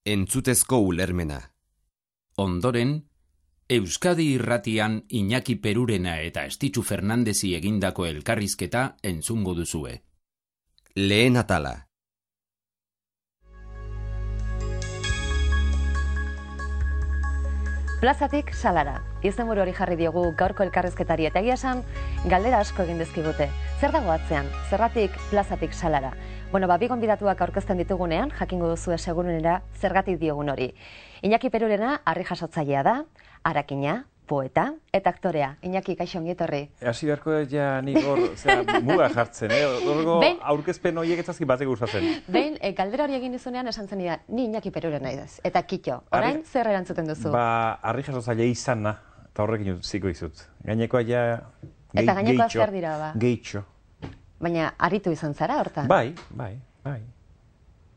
Entzutezko ulermena. Ondoren, Euskadi Irratian Iñaki Perurena eta Estitxu Fernandezi egindako elkarrizketa entzungo duzue. Lehen atala. Plazatik salara. Izenburu hori jarri diogu gaurko elkarrizketari eta egia esan galdera asko egin dizkigute. Zer dago atzean? Zergatik plazatik salara? Bueno, bi gonbidatuak aurkezten ditugunean, jakingo duzue segurunera zergatik diogun hori. Iñaki Perurena harri jasotzailea da, harakina, poeta eta aktorea. Iñaki, kaixo ongi etorri. Hasi beharko ja nik hor, muga jartzen, horrego aurkezpen horiek etzazki batek gustatzen. Behin, galdera hori egin dizunean esan zen ni Iñaki Perurena idaz. Eta kitxo, orain zer erantzuten duzu? Harri jasotzailea izana, eta horrekin ziko izut. Gainekoa ja eta gainekoa zer dira ba? Gehitxo. Baina aritu izan zara hortan? Bai.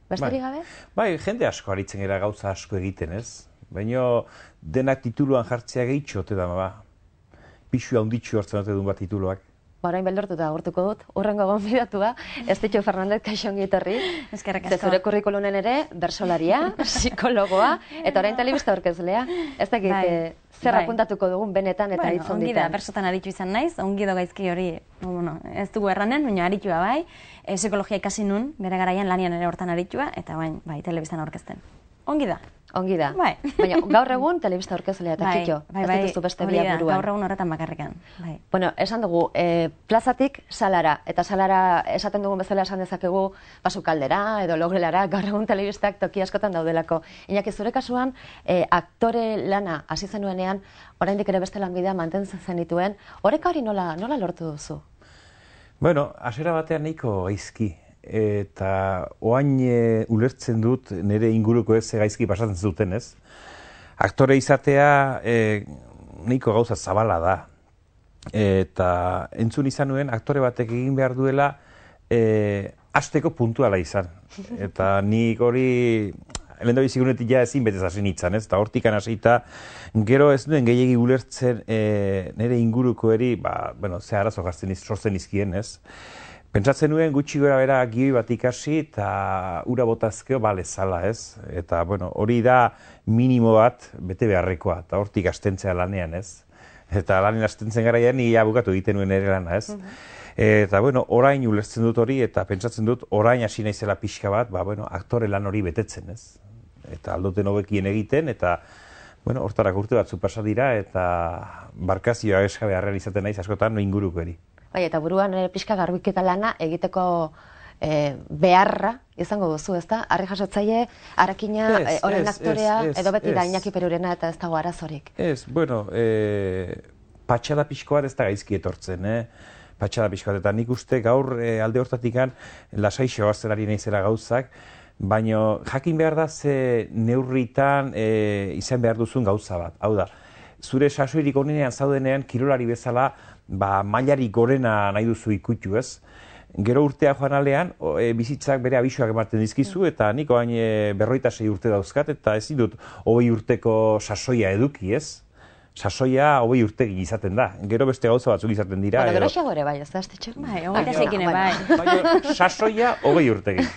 Besterik gabe? Bai, jende asko aritzen gara gauza asko egiten ez. Baina denak tituluan jartzea gehitxo, ote da, pixu handitxu hartzen dut bat tituluak. Orain beldortuta agurtuko dut, urrengo gonbidatua, Estitxu Fernandez, kaixo ongi etorri. Eskerrik asko. Zure kurrikulunen ere, bersolaria, psikologoa, eta orain telebista aurkezlea. Ez dakit, zer apuntatuko dugun benetan eta hitz onditan. Ongi da, bersotan aritu izan naiz, ongi do gaizki hori, ez dugu erranen, baina aritua bai, psikologia ikasi nun, bere garaian lanian ere hortan aritua, eta bai, telebistan aurkezten. Ongi da. Ongi da. Bai. Baina gaur egun telebista aurkezlea eta kitxo. Bai, ez dituzu beste biak buruan. Gaur egun horretan bakarrikan. Bai. Bueno, esan dugu, plazatik salara. Eta salara esaten dugun bezala esan dezakegu basukaldera edo logelara, gaur egun telebistak toki askotan daudelako. Iñaki, zure kasuan, aktore lana hasi zenuenean, oraindik ere beste lanbidea mantentzen zenituen, horrek hori nola lortu duzu? Bueno, hasiera batean nahiko gaizki. Eta oain ulertzen dut nire inguruko ez gaizki pasatzen zuten ez. Aktore izatea nahiko gauza zabala da. Eta entzun izan nuen aktore batek egin behar duela hasteko puntuala izan. Eta nik hori lehen da bizigunetik ja ezin betez hasi nintzen ez. Eta hortikan hasita gero ez duen gehiagi ulertzen nire inguruko eri, ze arazo sortzen izkien ez. Pentsatzen nuen gutxi gora bera gioi bat ikasi eta ura botazkeo balezala ez. Eta hori da minimo bat bete beharrekoa eta hortik astentzea lanean ez. Eta lanean astentzen garaian nire bukatu egiten nuen ere lana ez. Eta orain ulertzen dut hori eta pentsatzen dut orain hasi naizela pixka bat, aktore lan hori betetzen ez. Eta aldoten hobekien egiten eta hortarak urte batzu pasa dira eta barkazioa eskabe harrean izaten naiz askotan inguruko eri. Bai, eta buruan pixka garbiketa lana egiteko beharra izango duzu, ezta? Harri jasotzaile, harakina, orain aktorea, edo beti da Iñaki Perurena eta ez dago arazorik. Ez, patxada pixko bat ez da gaizki etortzen, patxada pixko bat, eta nik uste gaur alde hortatikan lasaixo bazterari naizela gauzak, baina jakin behar da ze neurritan izan behar duzun gauza bat. Hau da, zure sasoirik onenean zaudenean kirolari bezala mailari gorena nahi duzu ikutu ez. Gero urtea joan alean, bizitzak bere abisuak ematen dizkizu, eta nik oain 46 urte dauzkat, eta ezin dut 20 urteko sasoia eduki ez. Sasoia 20 urtekin izaten da. Gero beste gauza batzuk izaten dira. Gero xagore bai, ez da, Estitxu? Bai, 26 bai. Baina sasoia 20 urtekin.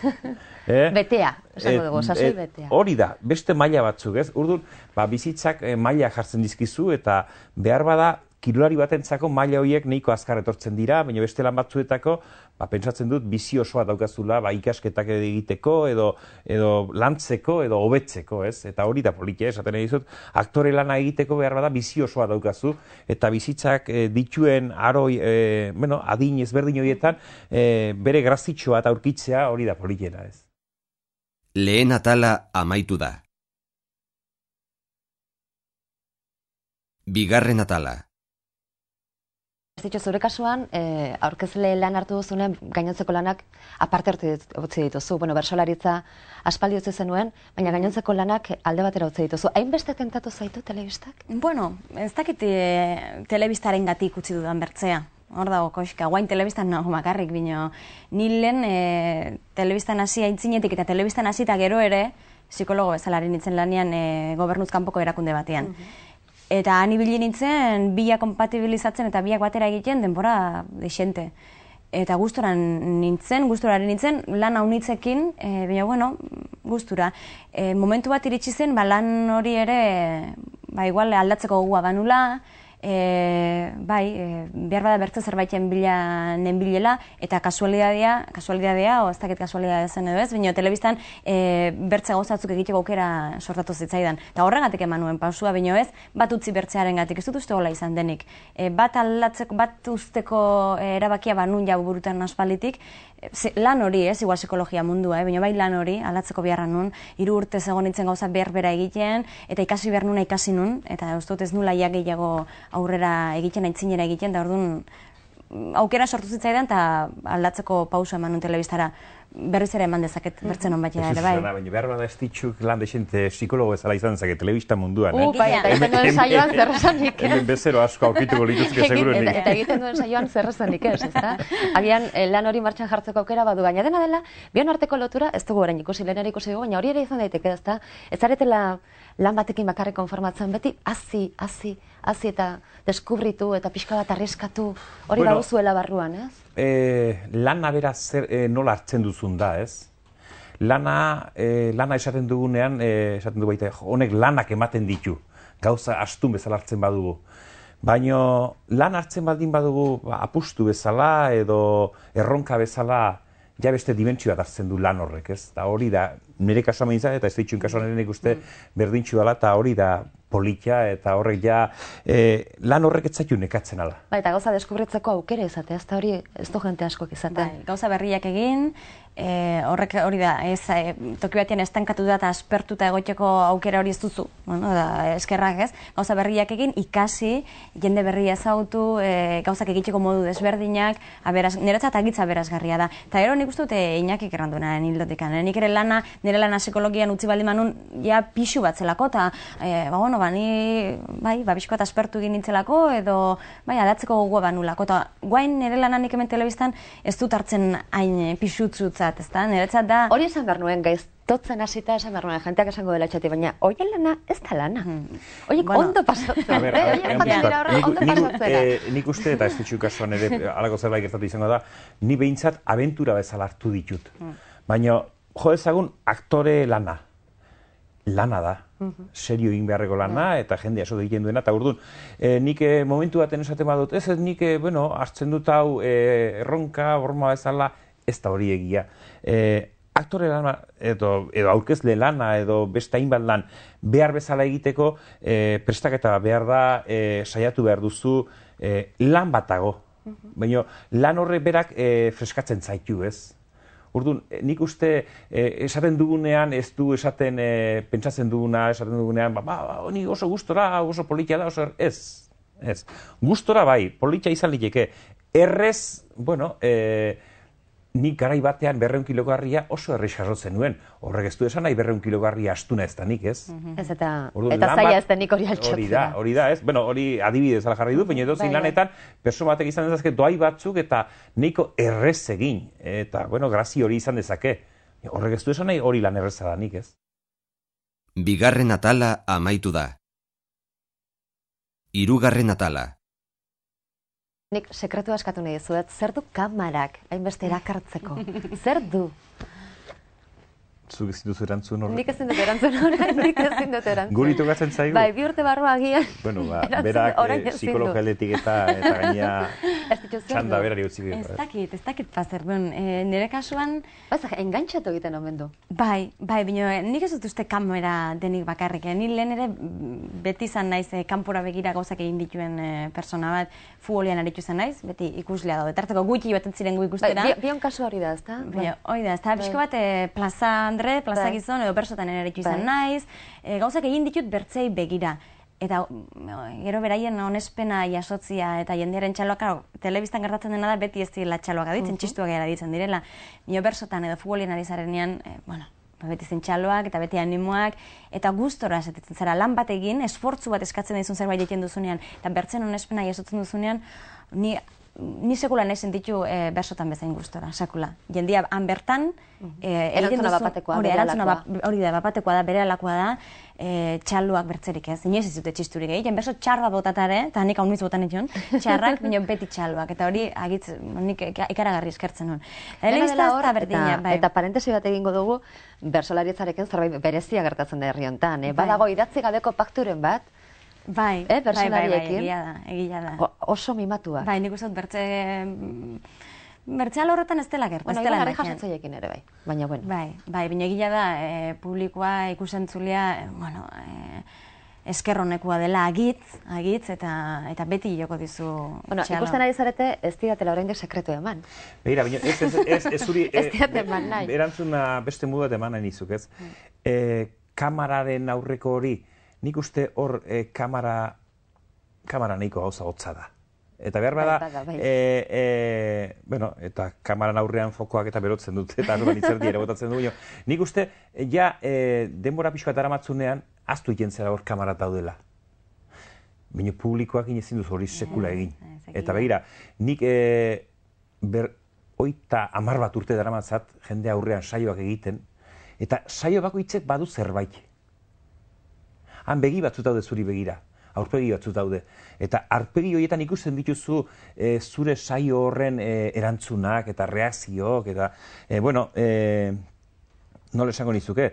Betea, esango dugu, sasoi betea. Hori da, beste maila batzuk ez. Orduan, bizitzak maila jartzen dizkizu, eta behar bada, kirolari batentzako maila horiek nahiko azkar etortzen dira, baina beste lan batzuetako, pentsatzen dut bizi osoa daukazula, ikasketak egiteko, edo lantzeko, edo hobetzeko, ez? Eta hori da politia, esaten dizut, aktore lana egiteko behar bada bizi osoa daukazu, eta bizitzak dituen aroi, adin ezberdin horietan, bere grazitxoa eta aurkitzea hori da politiena, ez? Lehen atala amaitu da. Bigarren atala. Estitxu, zure kasuan, aurkezle lan hartu duzunen gainontzeko lanak aparte utzi dituzu. Bersolaritza aspaldi utzi zenuen, baina gainontzeko lanak alde batera utzi dituzu. Hainbeste tentatu zaitu telebistak? Ez dakit telebistaren gatik utzi dudan bertzea. Hor dago, koxka, guain telebistan nago makarrik, bino. Ni lehen telebistan hasi aintzinetik eta telebistan hasi eta gero ere, psikologo bezalari nintzen lanean gobernuz kanpoko erakunde batean. Eta han ibili nintzen, biak kompatibilizatzen eta biak batera egiten denbora desente. eta gusturaren nintzen, lan haunitzekin, baina, bueno, gustura. Momentu bat iritsi zen, lan hori ere, igual aldatzeko gogoa banula, behar bada bertze zerbaiten bila nenbilela, eta kasualidadea, ez dakit kasualidadea zen edo ez, baina telebistan bertze gauzatzuk egiteko aukera sortatu zitzaidan. Eta horregatik eman nuen pausua, baina ez, bat utzi bertzearen gatik, ez dut uste gola izan denik. Bat aldatzeko, bat usteko erabakia banun jau burutan aspalditik, lan hori, igual psikologia mundua, baina bai lan hori, aldatzeko beharra nun, 3 urtez egon nintzen gauza berbera egiten, eta ikasi behar nuna ikasi nun, eta ustot ez nula gehiago aurrera egiten, aitzinera egiten, da orduan aukera sortu zitzaidan, eta aldatzeko pausa eman nun telebistara. Berriz ere eman dezaket bertzen hon batera ere, bai. Baina behar bada ez ditxuk lan desente psikologo ezala izan dezaket telebista munduan, Bai, eta egiten duen saioan zerrezanik, Hemen bezero asko aurkituko lituzke seguruenik. Eta egiten duen saioan zerrezanik ez, ezta? Agian lan hori martxan jartzeko aukera badu, baina dena dela, bion arteko lotura, ez dugu orain ikusi, lehenera ikusi dugu, baina hori ere izan daiteke, ezta? Ez zaretela lan batekin bakarrik konformatzen, beti hazi eta deskubritu eta pixka bat arriskatu, hori baduzuela barruan, ez? Lana bera nola hartzen duzun da, ez? Lana esaten dugunean, esaten du baita, honek lanak ematen ditu, gauza astun bezala hartzen badugu. Baina lan hartzen baldin badugu apustu bezala edo erronka bezala, ja beste dimentsio bat hartzen du lan horrek, ez? Eta hori da, nire kasuan behintzat, eta ez ditxun kasuan nik uste berdintxu dela, eta hori da politia, eta horrek ja lan horrek ez zaitu nekatzen ala. Eta gauza deskubritzeko aukera izatea, ez da hori ez du jente askok izatea. Gauza berriak egin, horrek hori da, toki batean estankatu da eta aspertuta egoteko aukera hori ez duzu, eskerrak ez, gauza berriak egin, ikasi, jende berria ezagutu, gauzak egiteko modu desberdinak, niretzat agitza berazgarria da. Eta gero nik uste dute Iñakik erranduenaren hildotik, nik ere nire lana psikologian utzi baldin manun, ja pixu bat zelako, eta ni bizko eta aspertu egin nintzelako, edo aldatzeko gogoa banulako, eta guain nire lanak hemen telebistan ez dut hartzen hain pixutzutzat, ez da, niretzat da... Hori esan behar nuen, gaiztotzen hasita esan behar nuen, jenteak esango dela txati, baina horien lana ez da lana. Horiek ondo pasatzen, ondo pasatzen. Nik uste, eta ez ditxu kasuan ere, alako zerbait gertatu izango da, ni behintzat abentura bezala hartu ditut. Baina, jo ezagun, aktore lana da. Serio egin beharreko lana, eta jende aso egiten duena, eta urduan, nik momentu baten esaten badut, ez nik, hartzen dut hau erronka, horma bezala, ez da hori egia. Aktore lana, edo aurkezle lana, edo beste hainbat lan, behar bezala egiteko, prestaketa behar da, saiatu behar duzu, lan batago. Baina, lan horrek berak freskatzen zaitu, ez? Orduan, nik uste esaten dugunean, ez du esaten, pentsatzen duguna, esaten dugunean, honi oso gustora, oso politia da, oso ez. Gustora bai, politia izan liteke. Errez, nik garai batean 200 kilogarria oso errez jasotzen nuen. Horrek ez du esan nahi 200 kilogarria astuna ez da nik, ez? Ez eta zaila ez da nik hori altxatzea. Hori da, ez? Hori adibidez ala jarri du, baina edozein lanetan, pertsona batek izan dezake doai batzuk eta nahiko errez egin. Eta, grazi hori izan dezake. Horrek ez du esan nahi hori lan erreza da nik, ez? Bigarren atala amaitu da. Hirugarren atala. Nik sekretu askatu nahi dizuet, zer du kamarak hainbeste erakartzeko? Zer du? Zuk ezin duzu erantzun horrek? Nik ezin dut erantzun horrek, Guri tokatzen zaigu? Bai, 2 urte barru agian. Berak psikologialetik eta gaina txanda berari utzi dira. Ez dakit pazer, nire kasuan... Engantxatu egiten omen du. Bai, baina nik ez dut uste kamera denik bakarrik. Ni lehen ere beti izan naiz kanpora begira gauzak egin dituen persona bat, futbolian aritu izan naiz, beti ikuslea daude. Tarteko gutxi baten ziren gu ikustera. Bion kasu hori da, ezta? Hori da, ezta, pixko bat plaza gizon edo bersotan eritu izan naiz, gauzak egin ditut bertzei begira. Eta gero beraien onespena jasotzia eta jendearen txaloak, telebistan gertatzen dena da beti ez direla txaloak aditzen, txistuak gara ditzen direla. Nio bersotan edo futbolien ari zarenean, beti zen txaloak eta beti animoak, eta gustora esatetzen zara lan bat egin, esfortzu bat eskatzen dizun zerbait egiten duzunean, eta bertzen onespena jasotzen duzunean, ni sekula nahi sentitu bersotan bezain gustora, sekula. Jendia han bertan, erantzuna bapatekoa, hori da, bapatekoa da, bere alakoa da, txaluak bertzerik ez, inoiz ez dute txisturik egiten, berso txar bat botatare, eta nik hau nuiz botan etxon, txarrak, baina beti txaluak, eta hori agitz, nik ikaragarri eskertzen nuen. Eta parentesi bat egingo dugu, bersolarietzarekin zerbait berezia gertatzen da herri honetan, badago idatzi gabeko pakturen bat, bersolariekin, egia da. Oso mimatua. Bai, nik uste dut bertze alorretan ez dela gertu. Bueno, ibarra jasotzaiekin ere, bai. Baina, bueno. Bai, baina egia da, publikoa ikusentzulea, eskerronekua dela agitz, eta beti joko dizu txalo. Bueno, ikusten ari zarete, ez didatela oraindik sekretu eman. Begira, baina ez zuri... Ez didat eman nahi. Erantzuna beste modu bat eman nahi nizuk, ez? Kamararen aurreko hori, nik uste hor kamara nahiko gauza hotza da. Eta behar bada, bueno, eta kamaran aurrean fokoak eta berotzen dut, eta azotan itzerdi ere botatzen du. Nik uste, denbora pixka eta aramatzunean, aztu egin zera hor kamarat daudela. Baina publikoak inezin duz hori sekula egin. Eta begira, nik 30 bat urte daramatzat, jende aurrean saioak egiten, eta saio bakoitzek badu zerbait. Han begi batzut daude zuri begira. Aurpegi batzut daude. Eta aurpegi horietan ikusten dituzu zure saio horren erantzunak eta reakzioak eta, nola esango nizuke,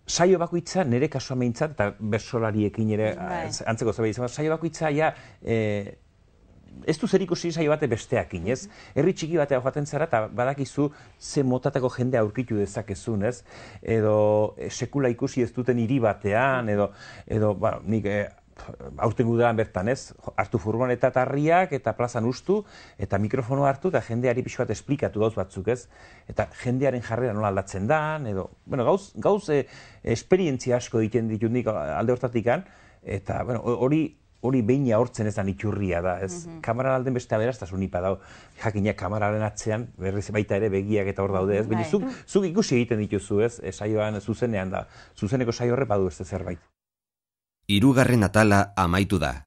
saio bakoitza nire kasua meintzat, eta bersolariekin ere antzeko zerbait izan, saio bakoitza ez du zer ikusi saio bate besteakin, ez? Herri txiki batea joaten zara eta badakizu ze motatako jende aurkitu dezakezun, ez? Edo sekula ikusi ez duten hiri batean, edo nik aurten gudean bertan, ez? Hartu furgoneta eta harriak eta plazan ustu, eta mikrofono hartu eta jendeari pixu bat esplikatu gauz batzuk, ez? Eta jendearen jarrera nola aldatzen dan, edo, gauz esperientzia asko egiten ditut nik alde hortatikan, eta, hori behina hortzen ez da iturria da, ez? Kamararen alden beste aberaztasun nipa dago. Jakinak kamararen atzean, berriz baita ere begiak eta hor daude, ez? Baina zuk ikusi egiten dituzu, ez? Saioan zuzenean da. Zuzeneko saio horre badu beste zerbait. 3. atala amaitu da.